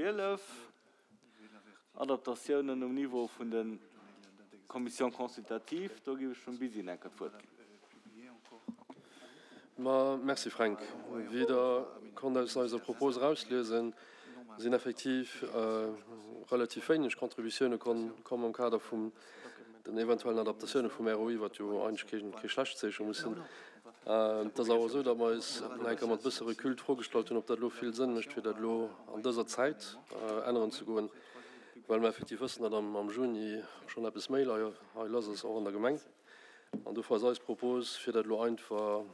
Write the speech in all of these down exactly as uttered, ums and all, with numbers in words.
Zwielef, Adaptatiounen um Niveau vun de Commissions consultatives. Do géif ech dem Busy enker d'Wuert ginn. Ma merci Fränk. Wéi Der konnt aus eiser Propos erausliesen, sinn effektiv relativ wéineg Contributioune komm am Kader vun den eventuellen Adaptatioune vum R O I, wat jo eigentlech kee schlecht Zeeche muss sinn. Et ass awer esou, datt mer eis nach eng Kéier mat e bësse Recul d'Fro gestallt hunn, ob dat elo vill Sënn mécht, fir dat elo an dëser Zäit änneren ze goen, well mer effektiv wëssen, datt am Juni schonn eppes méi hei lass ass, och an der Gemeng. An dofir ass eis Propos, fir dat elo einfach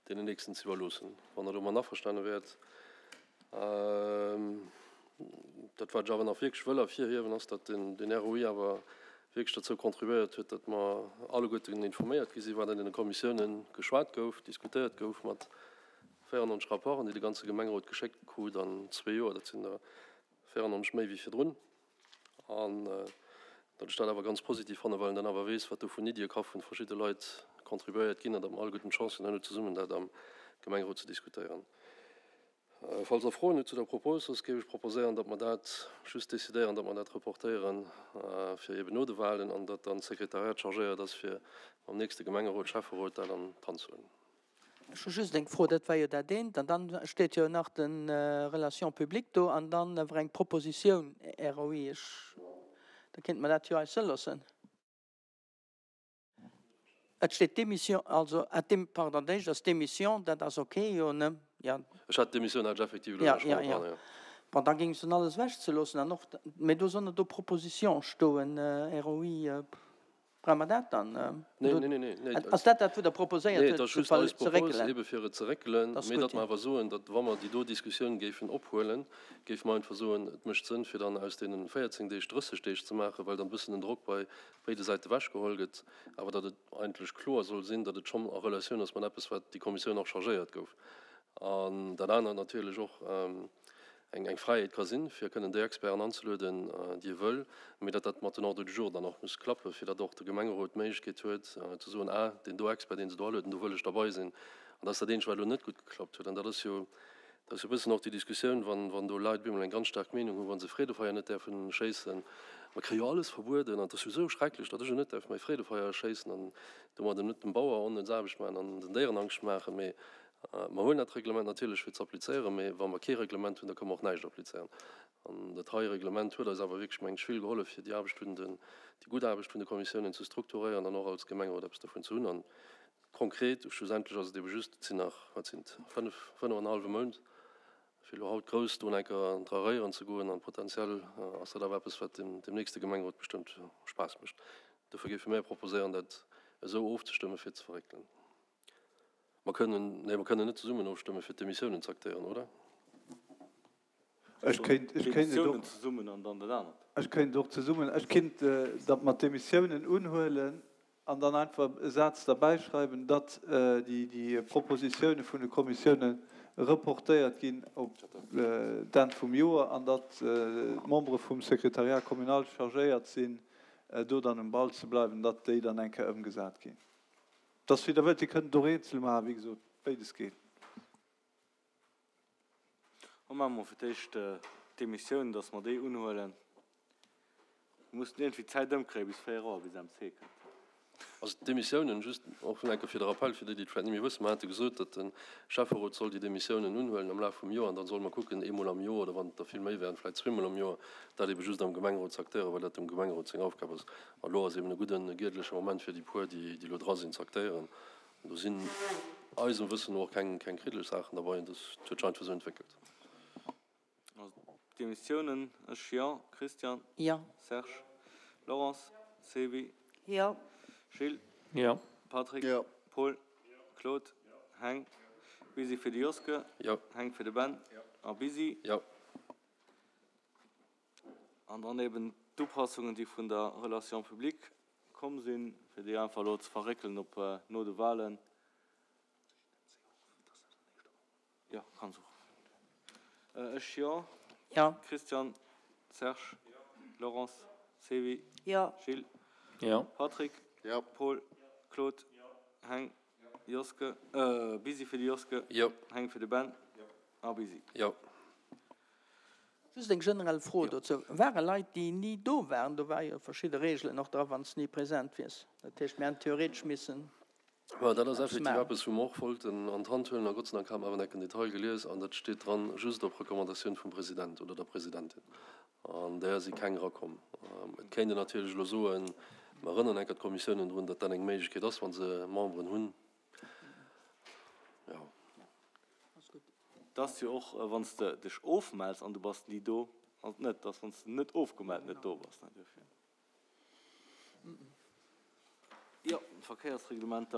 deenen Nächsten ze iwwerloossen, wann Der domat averstane wäert. Dat, wat ech awer nach wierklech wëll ervirhiewen, ass, datt den R O I awer wierklech dozou contribuéiert huet, datt mer alleguerten informéiert gi sinn, wat an deene Kommissiounen geschwat gouf, diskutéiert gouf, mat véierennonzeg Rapporten, déi de ganze Gemengerot geschéckt krut an zwee Joer. Dat sinn der véierennonzeg méi wéi virdrun. An datt ech dat awer ganz positiv fannen, well een dann awer weess, wat do vun Iddie ka vu verschidde Leit contribuéiert ginn an datt mer alleguerten d'Chance hunn, herno zesummen dat am Gemengerot ze diskutéieren. Falls Der Froen hutt zu der Propos, soss géif ech proposéieren, datt mer dat just decidéieren, datt mer dat reportéieren fir eeben no de Wahlen an datt dann d'Sekretariat chargéiert ass, fir mam nächste Gemengerot, Schäfferot dat an d'Hand ze huelen. Ech hu just eng Fro, dat war jo dat eent, an dann steet jo nach de Relations publiques do an dann awer eng Propositioun R O I. Ech, da kéinte mer dat jo eis loossen. Et steet Démission, also, ah, dem, pardon, dat éischt ass Démission, dat ass ok, jo, ne? Ja. Ech hat d'Demissioun hat ech effektiv elo Ja, nach ja, schonn ja. dran, ja. Bon, da géing se alles ewechzeloossen an och, mee do soll net do Proposition stoen, R O I, brauche mer dat dann? Nee, nee, nee, nee, nee. Ass dat dat, wou Der proposéiert Nee, huet, et ass ze just ver-, eis ze Propos, réckelen? ebe fir et ze réckelen, Dat ass mee gutt, datt mer ja. awer soen, datt wa mer déi do Diskussioun géifen ophuelen, géife mer einfach soen, et mécht Sënn, fir dann aus deene véierzéng Deeg drësseg Deeg ze maachen, well dann e bëssen den Drock bei béide Säite ewechgeholl gëtt, awer datt et eigentlech kloer soll sinn, datt et schonn a Relatioun ass mat eppes, wat déi Kommissioun och chargéiert gouf. An dat anert natierlech och eng, eng Fräiheet ka sinn, fir kënnen déi Experten anzelueden, déi ee wëll, mee datt dat mat den Ordre du jour dann och muss klappen, fir datt och de Gemengerot d'Méiglechkeet huet ze soen, ah, deen do Expert, deen se do alueden, do wëll ech derbei sinn. An dat ass dat eenzegt, wat elo net gutt geklappt huet. An dat ass jo, dat ass jo e bëssen och déi Diskussioun, wann, wann do Leit op eemol eng ganz staark Meenung hunn, wa se Freedefeier net däerfen schéissen. Mer kréie jo alles verbueden an et ass jo esou schrecklech, datt ech jo net däerf mäi Freedefeier schéissen an domadder net dem Bauer onnëtz Aarbecht maachen an den Déieren Angscht maachen. Mee mer hunn dat Reglement natierlech fir ze applizéieren, mee wa mer kee Reglement hunn, da kënne mer och näischt applizéieren. An dat hei Reglement huet eis awer wierklech, mengen ech, vill gehollef, fir déi Aarbecht vun den, déi gutt Aarbecht vun de Kommissiounen ze strukturéieren an och als Gemengerot eppes dovun ze hunn. An konkret, schlussendlech ass et ebe just, et sinn nach, wat sinn et, fënnef, fënnef an e hallwe Mount, fir elo haut grouss do enker dra réieren ze goen. An potenziell ass dat awer eppes, wat dem, dem nächste Gemengerot bestëmmt Spaass mécht. Dofir géife mir proposéieren, dat esou ofzestëmmen, fir ze verréckelen. Mer kënnen, nee, mer kënnen net zesummen ofstëmmen, fir d'Demissiounen ze aktéieren, oder? Ech kéint, ech kéint et och D'Demissiounen zesummen an dann dat anert. Ech kéint och zesummen, ech kéint, datt mer d'Demissiounen unhuelen an dann einfach e Saz derbäi schreiwen, datt déi, déi Propositioune vun de Kommissioune reportéiert ginn op d'Enn vum Joer an datt d'Membere vum Secrétariat communal chargéiert sinn, do dann um Ball ze bleiwen, datt déi dann eng Kéier ëmgesat ginn. Dass wéi Der wëllt, Dir kënnt et och eenzel maachen, wéi gesot, béides geet. Hu maache mer fir d'éischt d'Demissioun, dass mer déi unhuelen. Mir mussen iergendwéi d'Zäit ëmkréien bis véier Auer, bis M C kënnt. Also d'Demissiounen, just och nach eng Kéier fir de Rappel, fir déi, déi et vläicht net méi wëssen, mer hate gesot, datt de Schäfferot soll déi Demissiounen unhuelen am Laf vum Joer an dann solle mer kucken, eemol am Joer oder wann et der vill méi wären, vläicht zweemol am Joer, dat ebe just am Gemengerot ze aktéieren, well dat dem Gemengerot seng Aufgab ass. An elo ass eben e gudden, e giedeleche Moment fir déi puer, déi, déi elo dra sinn, ze aktéieren. An do sinn eisem Wëssen no och keng, keng kriddeleg Saachen derbei an dat huet sech einfach esou entwéckelt. Also d'Demissiounen, ech jo, Christian? Jo. Serge? Laurence? Sevi? Jo. Gilles? Jo. Patrick? Jo. Paul? Claude? Heng? Busy fir de Joske? Jo. Heng fir de Ben? A Busy? Jo. An dann eben d'Upassungen, déi vun der Relation publique komm sinn, fir déi einfach elo ze verréckelen op no de Wahlen. Jo, kanns och. Ech jo. Jo. Christian, Serge, Laurence, Sevi, Jo. Gilles, Jo. Patrick, Jo. Paul, Claude, Heng, Joske, äh, Busy fir de Joske, Jo. Heng fir de Ben a Busy. Jo. Just eng generell Fro dozou, Ware Leit, déi ni do waren, do ware jo verschidde Reegelen och dra wann s de ni present wiers, dat heescht mir hätten theoretesch missen Mä dat ass effektiv eppes, wou mer och wollten an d'Hand huelen. A Gott sei Dank hat mer awer enk en Detail gelies an dat steet dran, just op Recommandatioun vum President oder der Presidentin. An där si keng erakomm. Et kéint een natierlech elo soen, mer erënneren enker d'Kommissiounen drun, datt dat eng Méiglechkeet ass, wa se Memberen hunn. Jo. Et ass jo och, wann s de dech ofmells an du bass ni do, ass et net, dass wann s de net ofgemellt net do bass. Dofir, jo, d'Verkéiersreglementer.